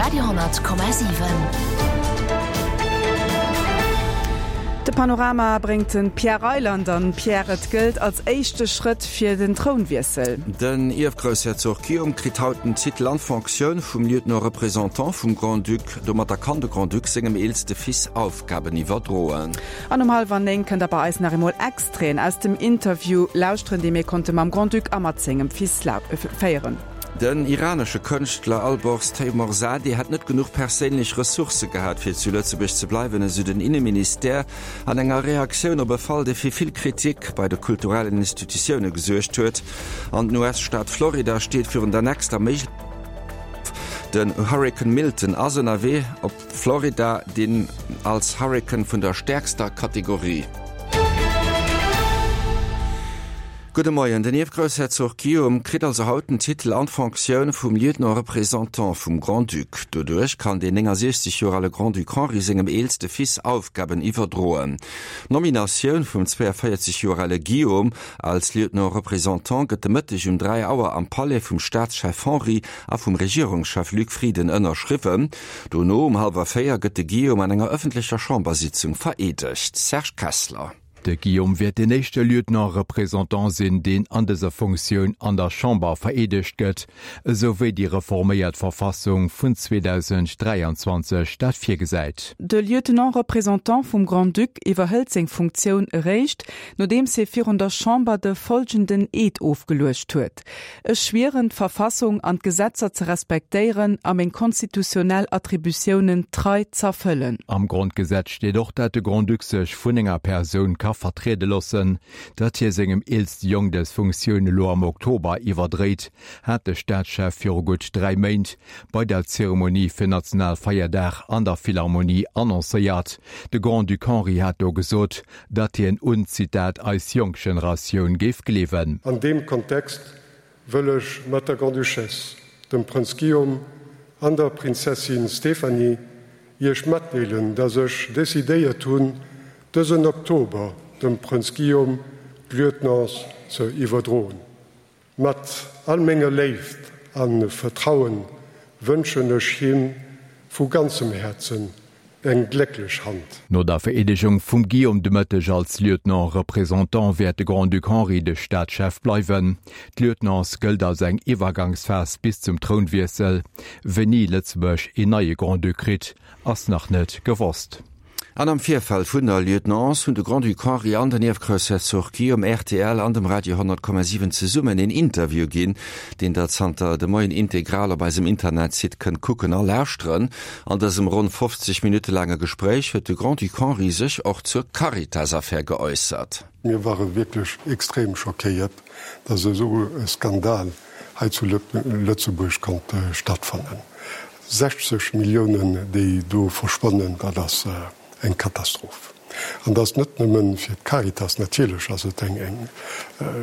Radio,7. De Panorama bréngt de Pierre Reyland an. Pierre, et gëllt als éischte Schrëtt fir den Trounwiessel. Den Ierfgroussherzog Guillaume kritt haut den Titel an d'Fonctioun vum Lieutenant-Représentant vum Grand-Duc. Domatter kann de Grand-Duc sengem eelste Fils Aufgaben iwwerdroen. An um hallwer 9 kënnt der bei eis nach eemol Extraiten aus dem Interview lauschteren, dee mir konnte mam Grand-Duc a mat sengem Fils féieren. Den iranesche Kënschtler Alborz Teymoorzadeh hätt net genuch perséinlech Ressourcë gehat, fir zu Lëtzebuerg ze bleiwen, esou den Inneministère an enger Reaktioun op e Fall, dee fir vill Kritik bei de kulturellen Institutioune gesuergt huet. An den US-Staat Florida steet virun der nächster méiglecher. Den Hurrikan Milton ass ënnerwee op Florida, deen als Hurrikan vun der stäerkster Kategorie. Gudde Moien, Den Ierfgroussherzog Guillaume kritt also haut den Titel an d'Fonctioun vum Lieutenant-Représentant vum Grand-Duc. Doduerch kann deen 69 Joer ale Grand-Duc Henri sengem eelste Fils Aufgaben iwwerdroen. D'Nominatioun vum 42 Joer ale Guillaume als Lieutenant-Représentant gëtt de Mëtteg um 3 Auer am Palais vum Staatschef Henri a vum Regierungschef Luc Frieden ënnerschriwwen. Dono um hallwer 4 gëtt de Guillaume an enger ëffentlecher Chambersitzung vereedegt. Serge Kessler. De Guillaume wäert deen éischte Lieutenant-Représentant sinn, deen an dëser Funktioun an der Chamber vereedegt gëtt, esou wéi déi reforméiert Verfassung vun 2023 dat virgesäit. De Lieutenant-Représentant vum Grand-Duc iwwerhëlt seng Funktioun eréischt, nodeems hie virun der Chamber de folgenden Eed ofgeluecht huet. Ech schwieren, d'Verfassung an d'Gesetzer ze respektéieren a meng konstitutionnell Attributiounen trei z'erfëllen. Am Grondgesetz steet och, dat de Grand-Duc sech vun enger Persoun ka vertriede loossen. Datt hie sengem eelste Jong dës Funktioun elo am Oktober iwwerdréit, hat de Staatschef viru gutt 3 Méint bei der Zeremonie fir Nationalfeierdag an der Philharmonie annoncéiert. De Grand-Duc Henri hat do gesot, datt hien un, Zitat, eis jonk Generatioun géif gleewen. An deem Kontext wëll ech mat der Grande-Duchesse, dem Prënz Guillaume an der Prinzessin Stéphanie Iech matdeelen, dass ech decidéiert hunn, dësen Oktober dem Prënz Guillaume d'Lieutenance ze iwwerdroen. Mat all menger Léift a Vertrauen wënschen ech him vu ganzem Häerzen eng glécklech Hand. No der Vereedegung vum Guillaume de Mëtteg als Lieutenant-Représentant wäert de Grand-Duc Henri de Staatschef bleiwen. D'Lieutenance gëllt als eng Iwwergangsphas bis zum Trounwiessel. Wéini Lëtzebuerg een neie Grand-Duc kritt, ass nach net gewosst. An am Virfeld vun der Lieutenance hunn de Grand-Duc Henri an den Ierfgroussherzog Guillaume rtl an dem Radio 100,7 zesummen een Interview ginn, deen der zanter de Moien integral op eisem Internetsite kënnt kucken a lauschteren. An dësem ronn 50 Minutte laange Gespréich huet de Grand-Duc Henri sech och zur Caritas-Affär geäussert. Mir ware wierklech extrem schockéiert, dass esou e Skandal hei zu Lëtzebuerg konnt stattfannen. 60 Milliounen, déi do verschwannen, dat ass eng Katastroph. An dat ass net nëmme fir d'Caritas, natierlech ass et eng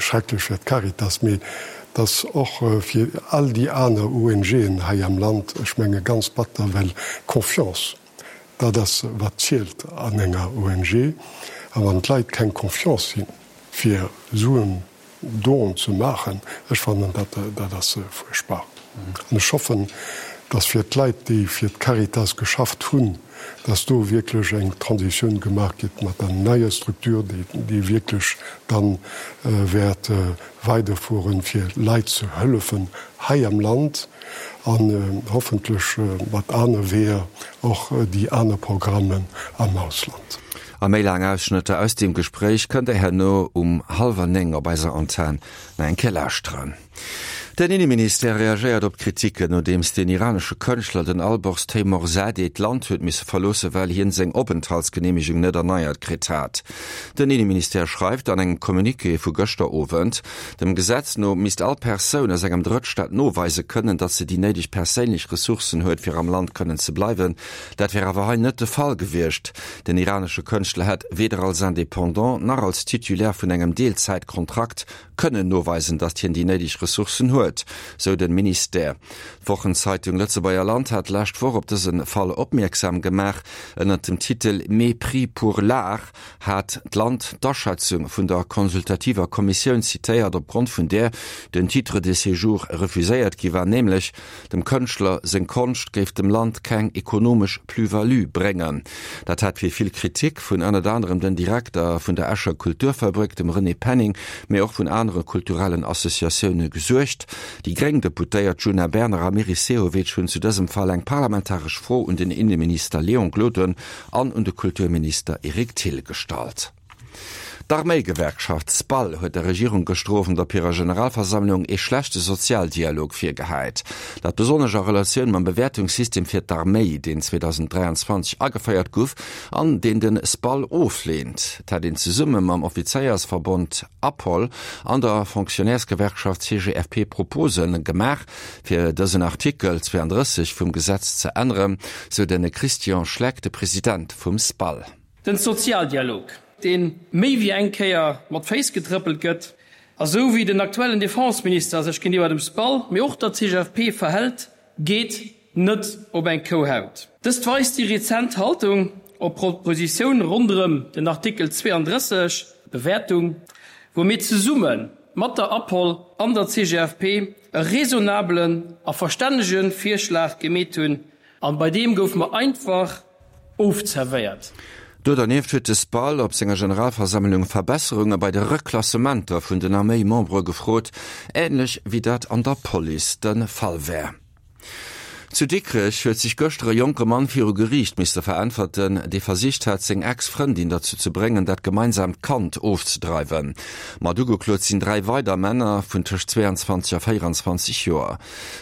schrecklech fir d'Caritas, mee et ass och fir all déi aner ONGen hei am Land, ech menge ganz batter, well Confiance, dat ass wat zielt an enger ONG. A wann d'Leit keng Confiance hunn, fir Suen Don ze maachen, ech fannen dat, dat ass fuerchtbar. An ech hoffen, dass fir d'Leit, déi fir d'Caritas geschafft hunn, dass do wierklech eng Transitioun gemaach gëtt mat der neier Structure, déi, déi wierklech dann wäert weiderfueren, fir Leit ze hëllefen hei am Land an hoffentlech mat aner Weeër och déi aner Programmen am Ausland. A méi laang Ausschnëtter aus deem Gespréich kënnt der herno um hallwer 9 op eiser Antenn nach eng Kéier lauschteren. Den Inneministère reagéiert op d'Kritiken, nodeems den iranesche Kënschtler, den Alborz Teymoorzadeh, d'Land huet misse verloossen, well hien seng Openthaltsgeneemegung net erneiert kritt hat. Den Inneministère schreift an engem Communiqué vu gëschter Owend, dem Gesetz no misst all Persoun aus engem Drëttstaat noweise kënnen, datt se déi néideg perséinlech Ressourcen huet, fir am Land kënnen ze bleiwen. Dat wär awer hei net de Fall gewiescht. Den iranesche Kënschtler hätt weder als Indépendant nach als Titulaire vun engem Deelzäitkontrakt kënnen noweisen, datt hien déi néideg Ressourcen huet. Schued, sou de Ministère. D'Wochenzeitung Lëtzebuerger Land hat d'lescht Woch op dëse Fall opmierksam gemaach. Ënnert dem Titel Mépris pour l'art hat d'Land d'Aschätzung vun der consultativer Kommissioun zitéiert, opgrond vun där den Titre de séjour refuséiert gi war, nämlech Dem Kënschtler seng Konscht géif dem Land keng ekonomesch Plus-value bréngen. Dat hat fir vill Kritik vun ënnert anerem den Direkter vun der Escher Kulturfabrik, dem René Penning, mee och vun anere kulturellen Associatioune gesuergt. Déi gréng Deputéiert Djuna Bernard a Meris Sehovic hunn zu dësem Fall eng parlamentaresch Fro un den Inneminister Léon Gloden an un de Kulturminister Eric Thill gestallt. D'Arméigewerkschaft SPAL huet der Regierung gëschter Owend op hirer Generalversammlung ee schlechte Sozialdialog virgehäit. Dat besonnesch a Relatioun mam Bewäertungssystem fir d'Arméi, deen 2023 ageféiert guff an deen de SPAL ofleent. Et hätt een zesumme mam Offizéiersverbond APOL an der Fonctionnairesgewerkschaft CGFP Propose gemaach, fir dësen Artikel 32 vum Gesetz ze änneren, sou de Christian Schleck, de President vum SPAL. Den Sozialdialog, dee méi wéi eng Kéier mat Féiss getrëppelt gëtt, a sou wéi den aktuellen Defenseminister sech géintiwwer dem SPAL, mee och der CGFP verhält, geet net op eng Kouhaut. Dëst weist déi rezent Haltung op Propositioun ronderëm den Artikel 32, Bewäertung, wou mir zesumme mat der APOL an der CGFP e raisonnabelen a verstännege Virschlag gemeet hunn, An bei deem gouf mer einfach ofzerwéiert. Do dernieft huet de SPAL op senger Generalversammlung Verbesserunge bei de Reklassementer vun den Arméi-Membere gefrot, änlech wéi dat an der Police de Fall wär. Zu Dikrech huet sech gëschter e jonke Mann viru Geriicht misste veräntwerten, dee versicht hat, seng Ex-Frëndin derzou ze bréngen, dat gemeinsaamt Kand ofzedreiwen. Mat ugeklot sinn 3 weider Männer vun tëscht 22 a 24 Joer.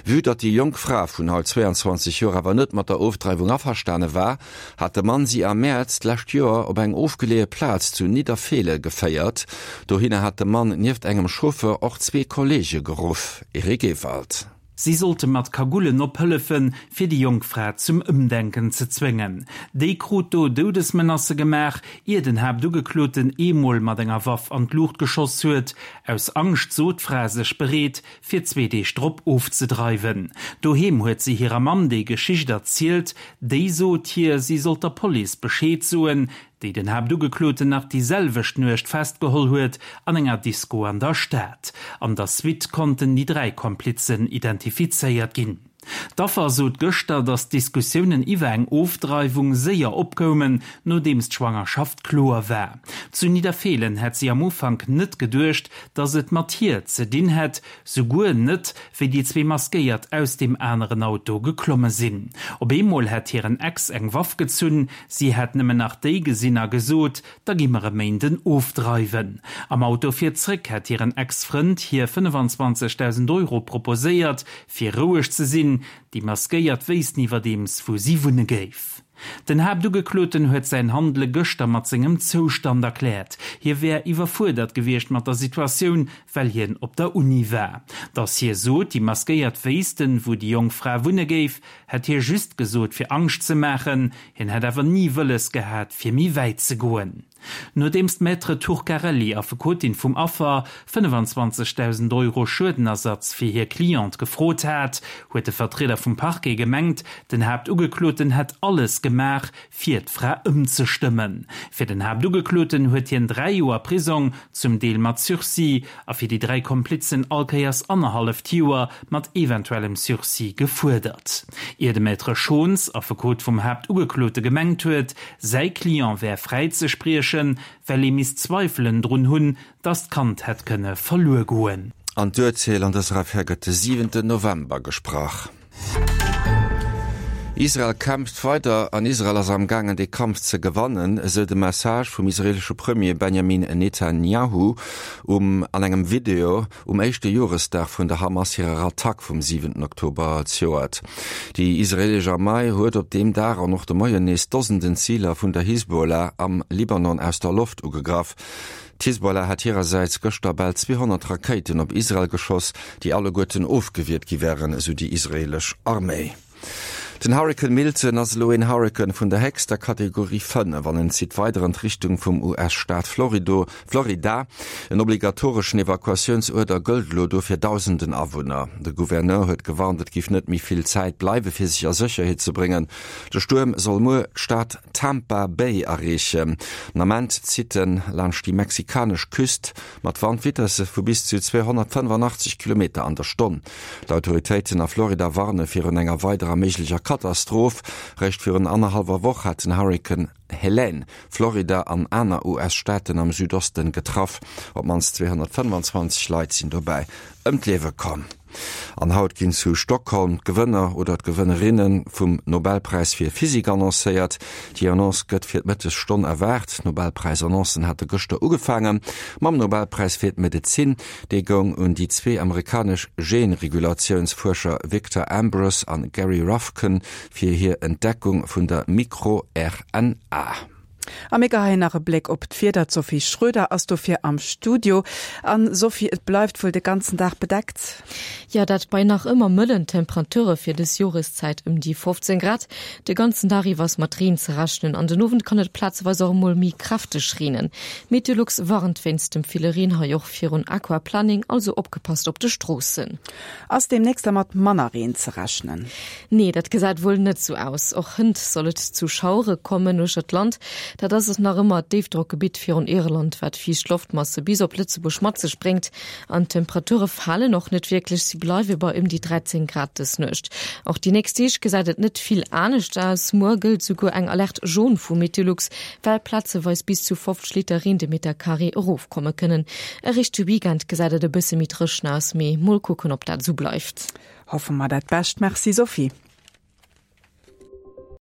Vue datt déi jonk Fra vun haut 22 Joer awer net mat der Ofdreiwung averstane war, hat de Mann si am Mäerz d'lescht Joer op eng ofgeleeë Plaz zu Nidderfeele geféiert. Dohinner hat de Mann nieft engem Chauffeur och zwee Kolleege geruff. Eric Ewald. Si sollte mat Kagullen ophëllefen, fir déi jonk Fra zum Ëmdenken ze zwéngen. Déi krut do Doudesmenacë gemaach, ier den Haaptugekloten eemol mat enger Waff an d'Luucht geschoss huet. Aus Angscht sot d'Fra sech bereet, fir zwee Deeg drop ofzedreiwen. Doheem huet si hirer Mamm déi Geschicht erzielt. Déi sot hir, si sollt der Police Bescheed soen, déi den Haaptugekloten nach déi selwecht Nuecht festgeholl huet an enger Disko an der Stad. An der Suite konnten déi 3 Komplizen identifizéiert ginn. D'Affer sot gëschter, datt d'Diskussiounen iwwer eng Ofdreiwung séier opkoumen, nodeems d'Schwangerschaft kloer war. Zu Nidderfeelen hätt si am Ufank net geduecht, datt et mat hir ze dinn hätt, souguer net, wéi déi zwee Maskéiert aus deem aneren Auto geklomme sinn. Op eemol hätt hiren Ex eng Waff gezunn, si hätt nëmmen nach déi gesinn a gesot, da gi mer e Méinden ofdreiwen. Am Auto fir zréck hätt hiren Ex-Frënd hir 25.000 Euro proposéiert, fir roueg ze sinn. Déi Maskéiert wéissten iwwerdeems, wou si wunne géif. Den Haaptugekloten huet säin Handele gëschter mat sengem Zoustand erkläert. Hie wär iwwerfuerdert gewiescht mat der Situatioun, well hien op der Uni war. Datt hie sot, déi Maskéiert wéissten, wou déi jonk Fra wunne géif, hätt hie just gesot, fir Angscht ze maachen. Hien hätt awer ni wëlles gehat, fir méi wäit ze goen. Nodeems d'Maître Turcarelli, Affekotin vum Affer, 25.000 Euro Schuedenersatz fir hir Cliente gefrot hat, huet de Vertrieder vum Parquet gemengt, den Haaptugekloten hätt alles gemaach, fir d'Fra ëmzestëmmen. Fir den Haaptugekloten huet hien 3 Joer Prisong, zum Deel mat Sursis, a fir déi 3 Komplizen allkéiers annerhalleft Joer mat eventuellem Sursis gefuerdert. Ier de Maître Schons, Affekot vum Haaptugeklote, gemengt huet, Säi Client wär fräi ze spriechen, well ee misst Zweifelen drun hunn, datt d'Kand hätt kënne verluer goen. An d'Urteel an dëser Affär gëtt de siwenten November gesprach. Israel kämpft weider an Israel ass am gaangen dee Kampf ze gewannen, esou de Message vum israeelesche Premier Benjamin Netanjahu um an engem Video. Um éischte Joresdag vun der Hamas hirer Attack vum siwenten Oktober zejoert. Déi israeelesch Armei huet op deem Dag an och de Moien nees Dosenden Ziler vun der Hisbollah am Libanon aus der Loft ugegraff. D'Hisbollah hat hirersäits gëschter bal 200 Rakéiten op Israel geschoss, déi alleguerten ofgewiert gi wären, esou déi israeelesch Arméi. Den Hurrikan Milton ass elo een Hurrikan vun der héchster Kategorie 5 an en zitt weider an d'Richtung vum US-Staat Florida. En obligatoreschen Evakuatiounsuerder gëllt elo do fir dausenden Awunner. De Gouverneur huet gewarnt, et géif net méi vill Zäit bleiwe fir sech a Sécherheet ze bréngen. De Stuerm soll muer d'Stad Tampa Bay erreechen. Den Ament zitt en laanscht déi mexikanesch Küst mat Wandvitesse vu bis zu 285 Kilometer an der Stonn. D'Autoritéiten a Florida warne virun enger weiderer méiglecher Katastroph. Réischt virun annerhallwer Woch hat den Hurrikan Helene Florida an aner US-Staaten am Südosten getraff. Op d'mannst 225 Leit sinn dobäi ëm d'Liewe komm. An haut ginn zu Stockholm d'Gewënner oder d'Gewënnerinne vum Nobelpräis fir Physik annoncéiert. Déi Annonce gëtt fir d'Mëttesstonn erwaart. D'Nobelpräisannoncen hate gëschter ugefaange mam Nobelpräis fir d'Medezin. Dee goung un déi zwee amerikanesch Genregulatiounsfuerscher Victor Ambros an Gary Ruvkun fir hir Entdeckung vun der Mikro-RNA. A mir geheien nach e Bléck op d'Wieder. D'Sophie Schröder ass dofir am Studio. An Sophie, et bleift wuel de ganzen Dag bedeckt? Jo, dat bei nach ëmmer mëllen Temperature fir dës Joreszäit, ëm déi 15 Grad. De ganzen Dag iwwer ass mat Reen ze rechnen an den Owend kann et plazeweis och emol méi kräfteg reenen. Meteolux warnt wéinst dem ville Reen hei och virun Aquaplaning, also opgepasst op de Stroossen. Ass deemnächst da mat manner Reen ze rechnen? Nee, dat gesäit wuel net sou aus. Och hënt soll et zu Schauere kommen uechter d'Land. Dat ass et nach ëmmer d'Déifdrockgebitt virun Irland, wat fiicht Loftmasse bis op Lëtzebuerg mat sech bréngt. An d'Temperature falen och net wierklech, si bleiwe bei ëm déi 13 Grad dës Nuecht. Och déi nächst Deeg gesäit et net vill anescht aus. Muer gëllt souguer eng Alerte jaune vu Meteolux, well plazeweis bis zu 50 Liter Reen de Meter Carré erofkomme kënnen. Eréischt de Weekend gesäit et e bësse méi dréchen aus, mee mol kucken, ob dat esou bleift. Hoffe mer dat Bescht. Merci Sophie.